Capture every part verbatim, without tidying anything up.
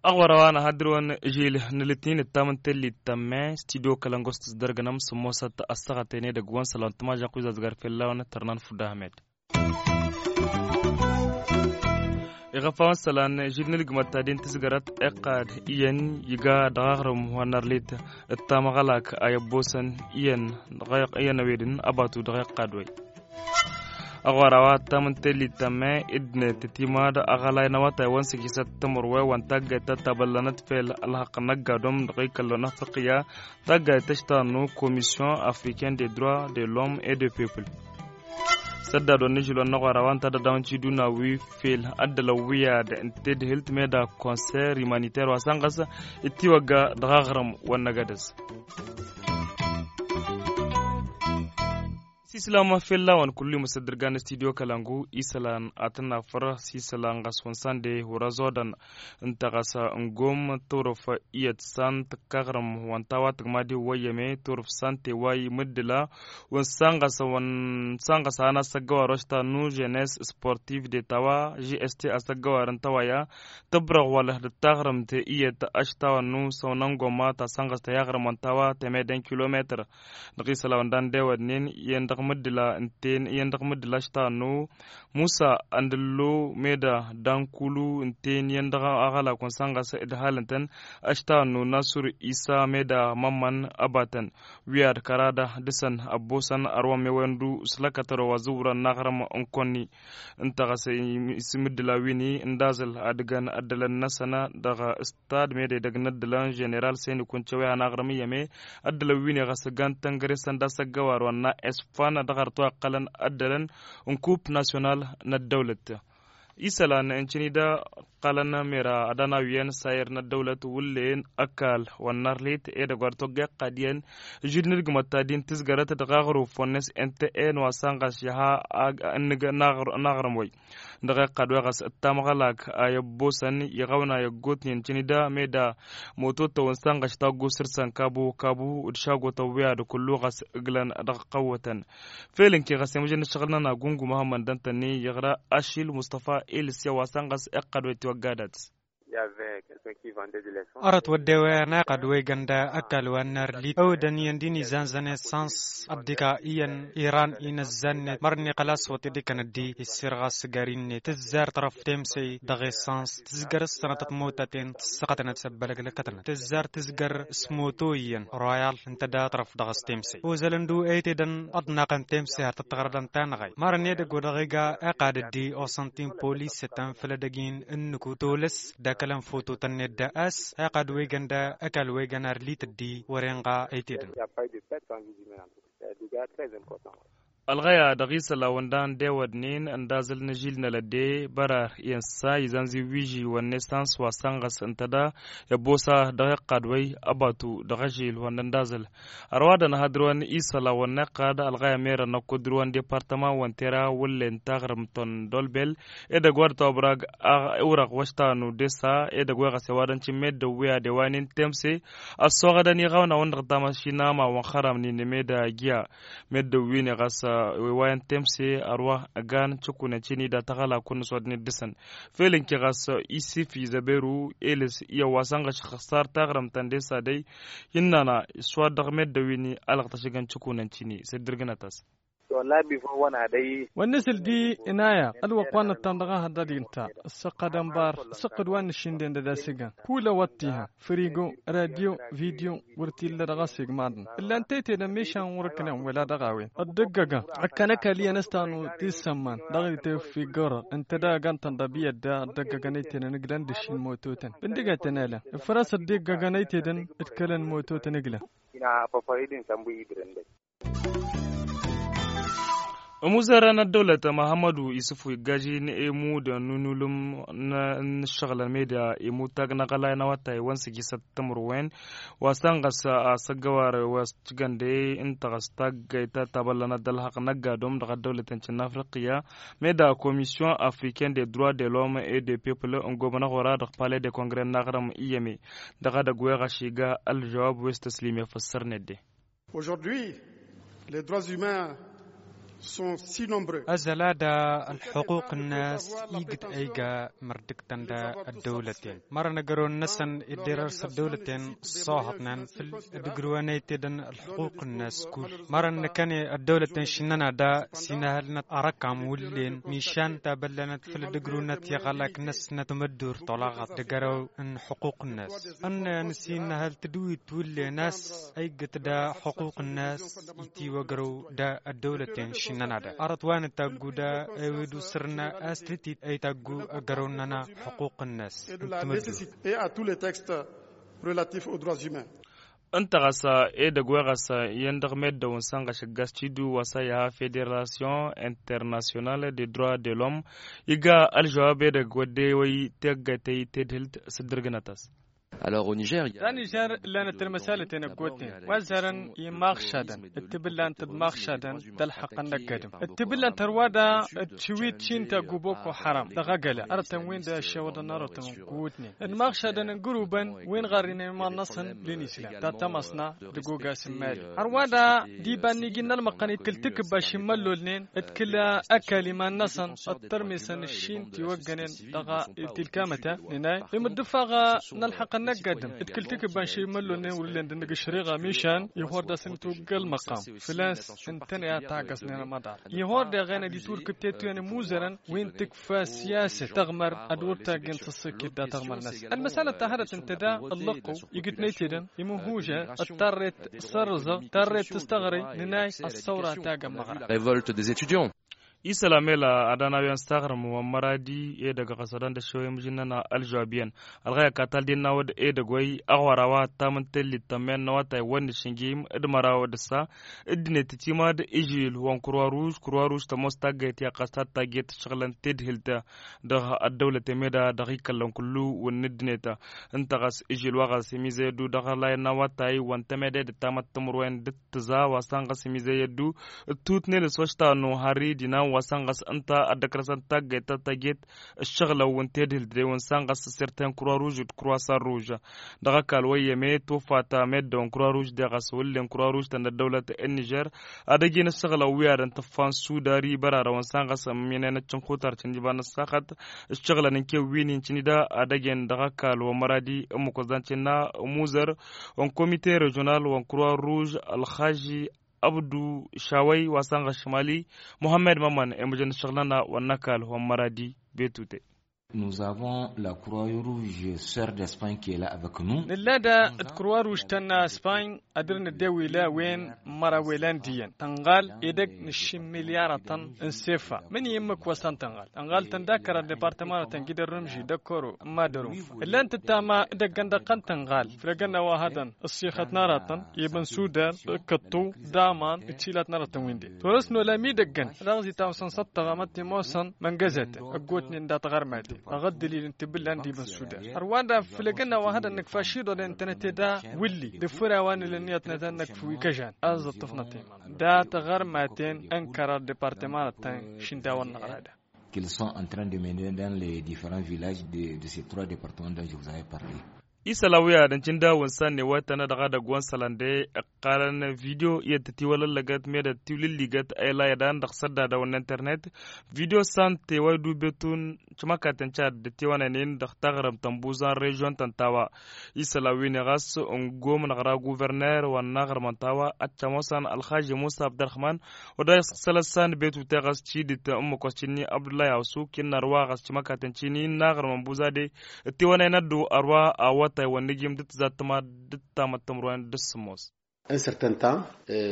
Aɣwăr a-wa n-ahăddǝr-wăn žil n-lǝtnin ǝttam n-tellit tămme studio kălăngos tǝzdărgănăm s-ămoosăt ăssaɣăten edăgg-wăn sălăwăn tămažăɣt wi zazgăr fell-a-wăn tărnan fudda ahmed. Iɣăfawăn sălan žil n-ǝlgǝmăt ta din tǝzgărăt iqqad iyyăn iga dăɣ-aɣrǝm wa n-arlit d-tamăɣalak a i-ăbboosăn iyyăn dăɣ-iyyăn ăwedǝn ăbatu dăɣ-iqqad-way. Aɣwar a-wa ǝttam n-tellit tămme ǝddǝnet tătimad aɣălay n-awătay-wăn s-ijisăt timǝrwe wa n-taggayt ta tabăllănăt fel ălhăqq n-ăgg-adǝm dăɣ-ikăllon afriqya. Taggayt ta ăštanu komisyon africaine des droits de l'homme et des peuples. Săddad wa n-ižǝl wa n-aɣwar a-wa ǝnta d-ad-dawăn tiduna wi fel ăddălăn wi ad-ǝnta d-hǝlt meda konser imaniter wa sănɣăs itiwăgga dăɣ-aɣrǝm wa n-agădăz. Sislam fell-a-wăn kullu imǝssăd dăr-gan studio kălangu isălan ad-tăn-nafăr s-isălan ɣas wăn sande wăr-ăzodăn. Ǝnta ɣas ǝngom turǝf iyyăt san tǝkkaɣrǝm wăn ta wa tǝgmadi wăyyăme turǝf sante wa imǝddǝla wăn san ɣas wăn san ɣas a han asăggăwar ošta nu ženes sportiv de ta wa žst asăggăwar ǝnta wa ya tǝbrăɣ wălăh d-taɣrǝmt iyyăt ašta wa nu săwnăn gomma ta san ɣas ta yaɣrǝm wăn ta wa temeden kilometăr. Dăɣ-isălan wăn dan dewădnen iyyăn dăɣ-mǝddǝla ǝnten iyyăn dăɣ-mǝddǝla ašta wa nu musa ăndǝllo meda dankulu ǝnten iyyăn dăɣ-aɣălak wăn san ɣas d-halǝntăn ašta wa nu nasur isa meda mămmăn ăbatăn wi ad-kăra da dăɣ-săn ăbboosăn ărwăn mewăyăn du s-lăkkătăro wa zǝwrăn n-aɣrǝm n-kăwăn-ni. Ǝnta ɣas isǝmmǝddǝla wi-ni ǝndazǝl ad-ǝgăn ăddălăn-năsăn dăɣ-s tad meda idăgg n-ăddălăn ženeral seni kunce wi han aɣrǝm iyyăme ăddălăn wi-ni ɣas ǝggan tăngăre sănda s-ăggăwar wa n-na esfan dăɣ-arăt wa ǝqqălăn ăddălăn n-kup nasyonal n-ăddăwlăt. Isălan n-cǝni-da ǝqqălăn mera ad-anawiyăn sayăr n-ăddăwlăt wǝllen ăkall wa n-arlit edăgg wa d-togga iqqad iyyăn žud n-ǝlgǝmăt ta din tǝzgărăt dăɣ-aɣrǝw fonnes n-tn wa sănɣăs iha n-aɣrǝm-way. Dăɣ-iqqad wa ɣas d-tamɣălak a i-ăbboosăn iɣawna i-ăggootnen cǝnida meda moto-tăwăn sănɣăš taggu săr-săn kabu kabu d-šagotăn wi ad-kullu ɣas ǝglăn dăɣ-qăwwătăn. Fel ǝnke ɣas i-măjăn n-ǝššăɣǝl-nănăɣ gungu muhămmăd dăntăn-i iɣra ašil mustăfa ilǝsya wa sănɣăs iqqad wa itiwăgga dăɣ-s. Arăt wădden wa n-iqqad wa igăn da ăkall wa n-arlit ăwdăn iyyăn din izanzăn essans ăddika iyyăn iran inăzzannet mărne xălas wăt idikăn ăddi issirɣas s-găr-innet tǝzzar tărăf temsey dăɣ-essans tǝzgăr s-sănătăt motăten tǝssăɣătnăt s-ăbbălăglăkătnăt tǝzzar tǝzgăr s-moto iyyăn royal ǝnta da tărăf dăɣ-s temsey ozălăn du ăytedăn ăḍnaqăn temsey har tăt-tăɣrădăn tanăɣay mărăn edăgg wa dăɣ-iga iqqad ăddi osăntin polis s-tăn făll-edăgg-in ǝnnǝku tolăs d-akălăn foto tăn-net da a-s iqqad wa igăn da ăkall wa igăn arlit ăddi wăr-inɣa ăytedăn. Ălɣăya dăɣ-isălan wăndan dewădnen ăndazăl n-ažil n-alădde bărar i-ănsa izanzi wiži wănne sans wa sănɣăs ǝnta da i-ăbbosa dăɣ-iqqad-way ăbatu dăɣ-ažil wănne ăndazăl. Ărwadăn ha dăr-wăn isălan wănne iqqad ălɣăya merăn ăkko dăr-wăn departăman wăn tera wǝllen taɣrǝmt tăn-dolbel edăgg wa d-tobărag urăɣ wăštanu desa edăgg wa ɣas i-ăwadăn cǝmmeddăw wi ad-ewanen temse ăssoɣădăn iɣawna wăn-dăɣ tamašina ma wăn xărămnen meda giya. Meddǝn-win-i ɣas iwayăn temse ărwa ăgan cǝkkunen cini da tăɣăla kunnǝs wa dăɣ-net dăɣ-săn. Fel ǝnke ɣas isif izăberu elǝs iyyăn wa săn ɣaš ăxsar taɣrǝmt tăn-desa dăy. Innăna s-wa dăɣ-meddǝn-win-i ălɣăt ašǝgăn cǝkkunen cini s-dd-irgǝnăt-as. Wănnăsăl di inaya ălwăqq wa n-nǝttam dăɣ-ahăḍăd-i ǝnta ǝssăqqădăn bar ǝssăqqăd wa n-nǝššǝnden d-ad-asǝgăn. Hulăwăt tiha frigo radio video wăr t-illa dăɣ-asǝgmaḍăn. Ǝllan tăytedăn mišan wăr-ǝknan wăla dăɣ-a-wen ăddăggăgăn ăkkăn ăkall iyyăn ăstanu tisămman dăɣ-iteffiggărăɣ ǝnta da ăgantăn ḍabiyyăt da ăddăggăgăn ăytedăn ǝglăn d-ǝššǝl mototăn. Bǝndigătăn elăn ǝfrăs ăddăggăgăn ăytedăn d-kălăn mototăn ǝglăn. Ina făfăridin sănbui idrǝndăy. Ămuzărăn ăddăwlăt măhămmădu isǝfu iggaži n-emud n-unulǝm n-ǝššăɣǝlăn meda emud tagg n-aɣălay n-awătay wa n-sǝjjisăt timǝrwen wa s-ănɣăs asăggăwar wa s-cǝgănde ǝnta ɣas taggayt ta tabăllănăt d-ălhăqq n-ăgg-adǝm dăɣ-ăddăwlăt n-cǝnnafriqya meda komisyon afriken de droit de lom e de pepl n-gobănăɣ ora dăɣ-pale de kongre n-aɣrǝm iyyăme dăɣ-edăgg weɣ ašigga ălžăwab west ăslim i-afăssărnet de. Aujourd'hui les droits humains sont si nombreux. Ăzăla da ălxuquq-năs igǝt ăyga mărdǝktăn da ăddăwlăten mărăn ăgărăw-năsăn idder ărs ăddăwlăten ăṣṣohăḍnen făll-dd-ǝgrǝwăn ăytedăn ălxuquq-năs kull mărăn nǝkăne ăddăwlăten šǝnnăn-ad-da s-inăhălnăt arăkam wǝllen mišan tabăllănăt făll-dd-ǝgrǝwnăt i-iɣălak-năsnăt măddurt olaɣăt d-agărăw n-ălxuquq-năs ănnăyăn s-innăhăl tǝdǝwit wǝllen a-s ăyggăt da ălxuquq-năs itiwăgrăw da ăddăwlăten šǝnnăn-ad-da arăt wa nǝtaggu da ewed usrǝnna a-s tǝtit ăytaggu agărăw-nănăɣ ălxuquq-năs n-tǝmǝddurt. Et à tous les textes relatifs aux droits humains. Ǝnta ɣas edăgg wa ɣas iyyăn dăɣ-meddăw n-sănɣăš ǝggas tidu wa s-a iha federasyon internasyonal de droit de lom iga ălžăwab edăgg wa d-ewăy teggătăy tedhǝlt s-dd-ǝrgǝnăt-as. Alor onižer ta nižer lănăt ălmăsalăten ăggootnen wa ăzzarăn i-imaɣšadăn d-tibǝllant d-imaɣšadăn d-ălxăqqăn n-ăgg-adǝm d-tibǝllant hărwa da d-tiwit šintaggu boko haram dăɣ-agăla arătăn-win-dăɣ ăššăwăḍăn arătăn n-kăwutnen d-imaɣšadăn n-gărubăn wi n-ɣarrinen iman-năsăn d-inisla ta tămăṣna d-ăgogas n-imali hărwa da d-iba n-iji n-ălmăqqăn ikǝl tikǝbba šimăllolnen d-kǝl ăkall iman-năsăn d-tărmesăn ǝššin tiwăggănen dăɣ-tilkamăta nǝnay imǝddǝfaɣ n-ălxăqqăn n-ăgg-adǝm d-kǝl tikǝbba n-šimăllolnen wǝllen d-ǝnnǝg ǝššăriɣa mišan ihor d-asǝnnǝtwǝgg ălmăqqam făl-a-s ǝntăne a taggăsnen ămaḍar ihor deɣ ena d-itwǝrkǝb tetwǝyăn imuzărăn wi n-tǝkfa siyasăt tăɣmăr ad-wăr taggen s-ăṣṣiket da tăɣmăr-năsăn ălmăsalăt ta hărăt ǝnta da ăllăqqu igǝtnăy tedăn imǝhuža d-tarret s-ărrǝzăɣ tarret s-tăɣrăy nǝnay ăssăwra tagg ămmăɣra. Revolte des étudiants. Isălan mela ad-anawyan s-taɣrǝm wa n-măradi edăgg ɣas ad-ănn d-ăššăwăy imǝžǝnnăn ălžăwab iyyăn ălɣăy ăkall talden n-awăd edăgg wa-i aɣwăra wa ăttam n-tellit tămmen n-awătay wa n-išǝnjim d-măraw d-ǝssa ǝddǝnet timad ižil wa n-kărwa ruž kărwa ruž tămoos taggayt i-ăqqas ta d-tagget ǝššăɣǝlăn tedhǝlt dăɣ-ăddăwlăt emeda dăɣ-ikăllăn kullu wǝnn ǝddǝnet ǝnta ɣas ižil wa ɣas imizăy ăddu dăɣ-ăllayăn n-awătay wa n-temede d-ăttamăt timǝrwen d-tǝza wa s-tăn ɣas imizăy ăddu d-tutnen s-oštanu harri d-inan wa s-tăn ɣas ǝnta ăddăkrăsăn taggayt ta tagget ǝššăɣǝlăn wa n-tedhǝlt de wa n-săn ɣas s-sirten kărwa ruž d-kărwa săn ruž dăɣ-ăkall wa iyyăme tufat meddǝwăn kărwa ruž de ɣas wǝllen kărwa ruž tăn-ăddăwlăt n-nižer ad-ăjin ǝššăɣǝlăn wi ad-ăntǝffa n-sudari bărarăwăn s-tăn ɣas ămminenăt cǝnxutar cǝnjǝba n-ăssaxăt ǝššăɣǝlăn n-kewwin incǝnida ad-ăjin dăɣ-ăkall wa n-măradi ǝmmǝk wa s-dan cǝnna ămuzăr wa n-komite režional wa n-kărwa ruž ălxaži ăbdu šawăy wa s-tăn ɣas šimali muhămmăd mămmăn i-mǝjăn ǝššăɣǝl-nănăɣ wa n-ăkall wa n-măradi betute. Nous avons la croix rouge sœur d'espagne qui est là avec nous. Nǝlla da d-croix rouge ta n-espagne ad-dăr-nǝddew ila wen măraw ilan d-iyyăn tănɣal edăgg n-ǝššǝm milyarătăn n-sefa mǝnǝy ǝmmǝk wa s-tăn-tănɣal tănɣal-tăn d-akăra departămanătăn gidăr n-ǝmži d-ăkkoro n-madărunfa ǝllan-t ǝttam edăgg ăndăqqăn tănɣal făll-egănna wa hădăn ǝssixăt n-aratăn ibǝn sudar d-kǝṭṭu d-aman d-tilat n-aratăn win-dăɣ torăs n-olam idăggăn dăɣ-zi tawsăn s-ăṭṭăɣamăt imoosăn măngăzetăn ăggootnen dat-ɣărmaten dăɣ-ăddălil n-tibǝllan d-ibǝn sudar hărwa-dăɣ făll-egănna wa hădăn nǝkfa šiḍoḍen tănăte da wǝlli d-afăra wa n-ǝlǝnniyăt n-ad-năkf wi kăžan a-s dd-ăṭṭăfnăt iman dat-ɣărmaten n-kărar departămanăt-tăn šindawăn n-aɣrada. Qu'ils sont en train de mener dans les différents villages de ces trois départements dont je vous avais parlé. Isălan wi ad-ǝncǝn dawǝn s-a n-newătăn dăɣ-edăgg wa n-isălan de ǝqqalăn video iyyăt tătiwălăllăgăt meddǝn tiwlǝlligăt a ila idan dăɣ-săddadăwăn n-internet. Video s-a n-tewăy dubetun cǝmăkatăn cad d-tiwănănen dăɣ-taɣrǝmt ănbuẓa n-režyon ta n-tawa isălan-win-i ɣas ǝngom n-aɣra guverner wa n-aɣrǝm n-tawa ad-t-ămoosăn ălxaži musa abdărrăhman. Wa dăɣ-isălan s-a n-betute ɣas tidǝt n-imǝkos cǝnni abdullahi awsuk innă ărwa ɣas cǝmăkatăn cini n-aɣrǝm ănbuẓa de d-tiwănăyăn ăddu ărwa awătay wa n-ijim d-tǝzattǝma d-tamăttămrwen d-sǝmmos. Un certain temps,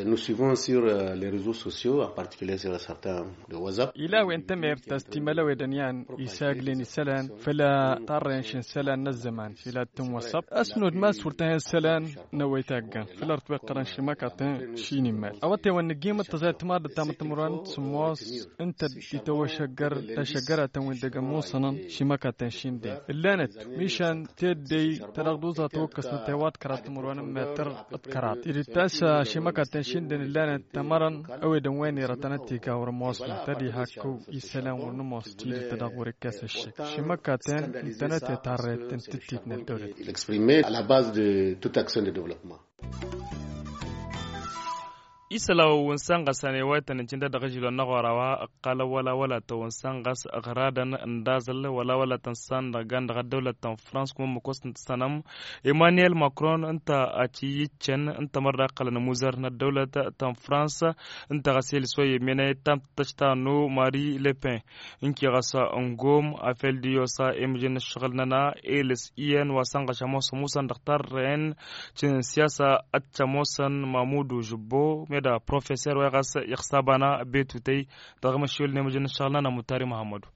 nous suivons sur les reseaux sociaux, en particulier sur certains de whatsapp. Ila a-wen temert ta s-timălăwedăn i-an isaglen isălan făll-tarren šin isălan n-ăzzăman ila tǝnwăsăb. Ăsnod ma s-wăr tăhen isălan n-ăwăy taggăn făll-ărtwăqqărăn šimăkatăn šin imal awătewăn nǝjjim d-tăẓayt timarḍăt tamăttămărwanăt sămmos ǝnta d-ităwăšăggăr tašăggăratăn wi n-dăgg-ămoosănăn šimăkatăn šin den ǝllanăt mišan teddey tădăɣ d-uẓa tawăkkăsnăt i-wa d-kăraḍ timǝrwen n-metăr d-kăraḍ ed ittas šimăkatăn šin den ǝllanăt tămărăn ăwedăn wa n-irătănăt iga wăr ămoosnăt ad-iha ăkkăw isălan wăr nǝmoos tidǝt ta dăɣ-wăr-ikkes ǝššǝk šimăkatăn ǝntănăt i-tarret n-tǝttit n-ăddăwlăt. Exprimé à la base de toute action de développement. Isălan wa n-sănɣăsăn i-wa ităn-ǝncǝn d-ad-dăɣ-ažilon n-aɣora wa ǝqqalăn wăla wăla tăwăn sănɣăs ɣradăn n-daẓǝl wăla wăla tăn-săn dăɣ-gan dăɣ-ăddăwlăt ta n-frans kuma ǝmmǝk wa s-tăn-tǝssanăm emmanuel macron ǝnta a cǝyyǝccăn ǝnta mărra iqqălăn ămuzăr n-ăddăwlăt ta n-frans ǝnta ɣas elǝs wa i-emmenăy tam-tăštanu marie le pen ǝnki ɣas ăngom afel d-iyyos a emǝjǝn n-ǝššăɣǝl-nănăɣ elǝs iyyăn wa sănɣăš ămoos ămusăn dăɣ-tarren cǝnǝn siyasa ad-t-ămoosăn mamudu žǝbbo meda professer wa i-ɣas iɣsabana betutăy dăɣ-imăššewăl n-emǝjǝn n-ǝššăɣǝl-nănăɣ mutari muhammădu.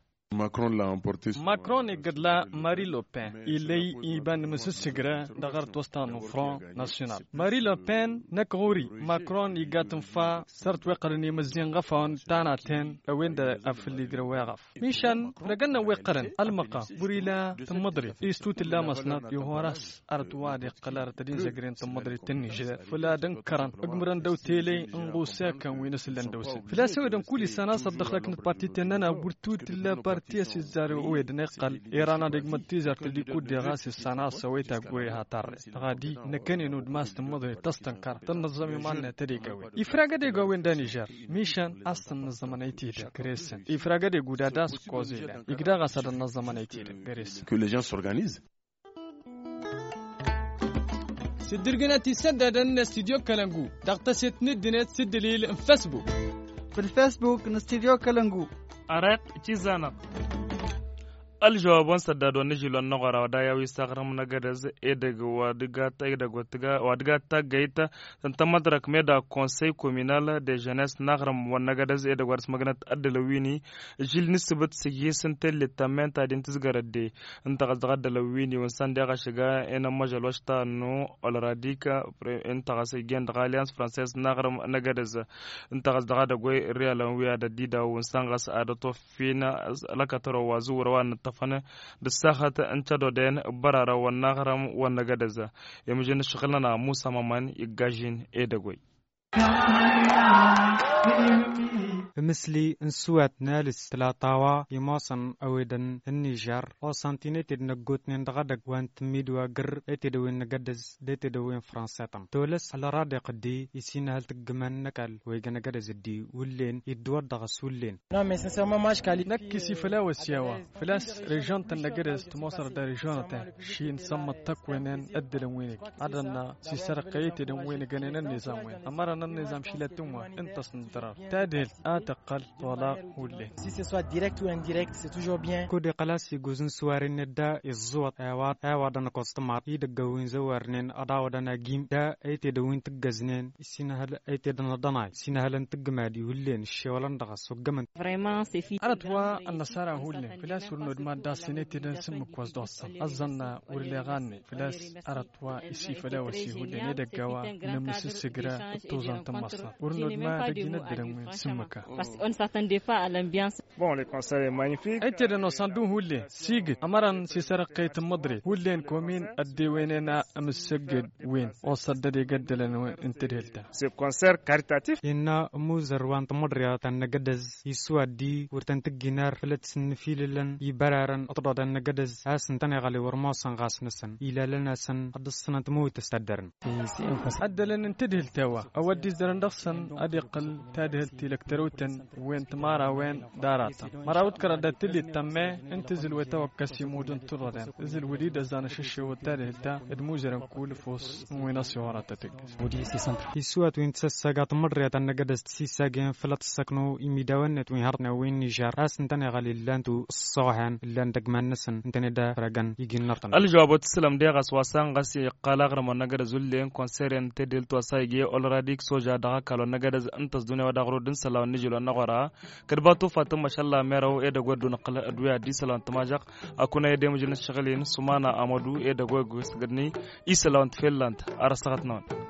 Macron iggădla marie le pen illăy iba n-imǝsǝssǝgră dăɣ-ărăt wa s-tănna front national marie le pen năkk ɣur-i macron igga tǝnfa s-ărăt wa iqqălăn imǝzzin ɣăfawăn tanaten a-wen-dăɣ a făl igrăw wa iɣăf mišan făll-egănnăn wa iqqălăn ălmăqam wăr-ila tǝmmăḍrit istut ǝlla măsnăt ihor a-s ărăt wa ad-iqqăl ărăt ad-inzăgren tǝmmăḍrit n-nižer făll-ad-ǝnkărăn ǝgmǝrăn dăw-telăy n-ɣusekăn wi n-asǝllăn dăw-săn făl-a-s ewădăn kull issan a-s ăddăxlăknăt parti tennăn a wăr tut illa parti a-s izzar ewădăn iqqăl iran ad-igmăd tizart dd-ikudde ɣas issan a-s ăwăy taggoy ha tarre dăɣ-ad-i năkkănen udmas tǝmmăḍre tăstănkăr tănnăẓẓăm iman-net ad-eg a-wen ifrag ad-eg a-wen d-anižer mišan a-s tănnăẓẓămăn ăytedăn găre-săn ifrag ad-eg uda d-a-s ǝkkoẓ ilan igda ɣas ad-ănnăẓẓămăn ăytedăn găre-săn. Que les gens s'organisent. Sǝddǝrgǝnăt isăddadăn n-studyo kălăngu dăɣ-tăset n-ǝddǝnet s-ǝddǝlil n-fesbuk. Făll-fesbuk n-studyo kălăngu. Ărăt cizanăɣ. Ălžăwab wa n-săddad wa n-ažilon n-aɣora wa d-ayaw isaɣrǝm n-agădăz edăgg wa dăgg-at edăgg wa dăgg-at taggăyt tăn-tămăḍrăk meda konsăy kominal de žănes n-aɣrǝm wa n-agădăz edăgg wa dăɣ-s măgnăt ăddălăwini žil n-ǝssǝbǝt s-ijis n-tellit tămmen ta din tǝzgărăt de ǝnta ɣas dăɣ-ăddălăn wi n-iwǝnsan deɣ ašăga i-inămmăžăl wa s-tannu olradik ǝnta ɣas ijen dăɣ-allians franses n-aɣrǝm n-agădăz ǝnta ɣas dăɣ-edăgg wa irriyalăn wi ad-ăddidăw iwǝnsan ɣas ad-ătoffin lăkătărăw wa zǝwwărăw wa n-ǝṭṭăfăn d-ăssaxăt n-cădoden ǝbbărarăn wa n-aɣrǝm wa n-agădăz. Imǝžăn ǝššăɣǝl-nănăɣ musa mămăn iggažin edăgg wa. Ǝmǝsli n-isǝwat n-alǝs tǝlata wa imoosăn ăwedăn n-nižer osan ti n-eted n-ăggootnen dăɣ-edăgg wa n-tǝmmidwa găr eted a-wen n-agădăz d-eted a-wen fransetăn tolăs ălradeɣ-dd i-sinăhăl tǝggǝmăn n-ăkall wa ijăn agădăz dd-i wǝllen iddǝwăt dăɣ-s wǝllen. Năkk isifăl a-wa s-i-a-wa făl-a-s režon-tăn n-agădăz tămoosărăt d-arežonătăn šin sămmăḍ tăkwenen ăddălăn wi n-ăj ad-ănna s-isărăqqăy i-tedăn wi n-ăjănen ănnizam-wen ămărăn ănnizam šilăt tǝnwa ǝnta a-s n-ǝddărăr tadhǝlt a tăqqăl tolaɣ. Hullen. Si se soit direct ou indirect c'est toujours bien. Kud-iqqăl a-s iguzǝn s-wari-net da iẓẓǝwăḍ i-a-wa d-ănăkoẓ tǝmar idăgg a-wen zăwarnen ăḍawăḍăn agim da ăytedăn wi n-tǝggăznen issinăhăl ăytedăn ăḍănay issinăhălăn tǝggǝmadi hullen ǝššewălăn dăɣ-s oggămăn. Ărăt wa ănnăsara hullen făl-a-s wăr nodma d-ass n-etedăn s-ǝmmǝk wa s-dd-ossăn ăẓẓănna wăr leɣ anne făl-a-s ărăt wa isifăl a-wa s-ihudden edăgg a-wa n-ămnǝsǝssǝgra d-toẓan tămmăsnăt wăr nodma d-ăjjǝn ăddălăn wi n-sǝmmǝka. Bon, le concert est magnifique. Ăytedăn osan dun hullen sigǝt ămărăn s-isărăqqăy tǝmmǝḍret hullen komin ăddewenen a ămǝssăgged wen osa dd-edeg ăddălăn wen n-tedhelt-a. Ce concert caritatif. Innă ămuzăr wa n-tămăḍriyăt ta n-agădăz iswaddi wăr tăn-tǝggin ar făll-ăttsǝnnǝfilǝlăn ibărarăn ăṭṭoḍăn n-agădăz a-s ǝntăneɣăl i-wăr ămoosăn ɣas-năsăn ilalăn-asăn ad-dd-ăṣṣănăn tămăwit s-taddărăn. Ăddălăn n-tedhelt a-wa ăwăddizdărăn dăɣ-săn ad-iqqăl Tadhǝlt tilăk tărăwtăn wen tǝmara wen d-aratăn mărawăt kărădăt tǝllit tămme. Ǝnta ǝzǝl wetăwăkkăs imudǝn turăren ǝzǝl wădidăzzan ašăššewăt tadhǝlt-ta d-muzărăn kull fos n-wen ăsihorăt tătǝggǝs. Tiswat wen tǝsăssagat mărriyăt ănnăgădăs tǝsissagen fălăt ǝssăknu imidawăn-net wen hărtnen wen nižar a-s ǝntăneɣăl illan-tu ăṣṣohen illan dăgg-iman-năsăn ǝntăne da frăgăn igi n-nărtăn. Ălžăwab wa tǝssǝlăm deɣ a-s wa san ɣas iqqal aɣrǝm wa n-năgădăz ullen konseryen tedelt wa s-a ige olradik soja dăɣ-ăkall wa n-năgădăz ǝnta s-dune wa dăɣ-rud n-isălan wa n-nijǝl wa n-aɣora. Kăd-batu fatǝmmăš ăllameraw edăgg wa dd-unăqqǝl ădduya d-isălan tǝmažăɣ. Akuna edemǝjăn ăššăɣǝl-in sumana amădu edăgg wa igwǝsgădni isălan wa n-tfellant. Ar ăssaɣăt-năwăn.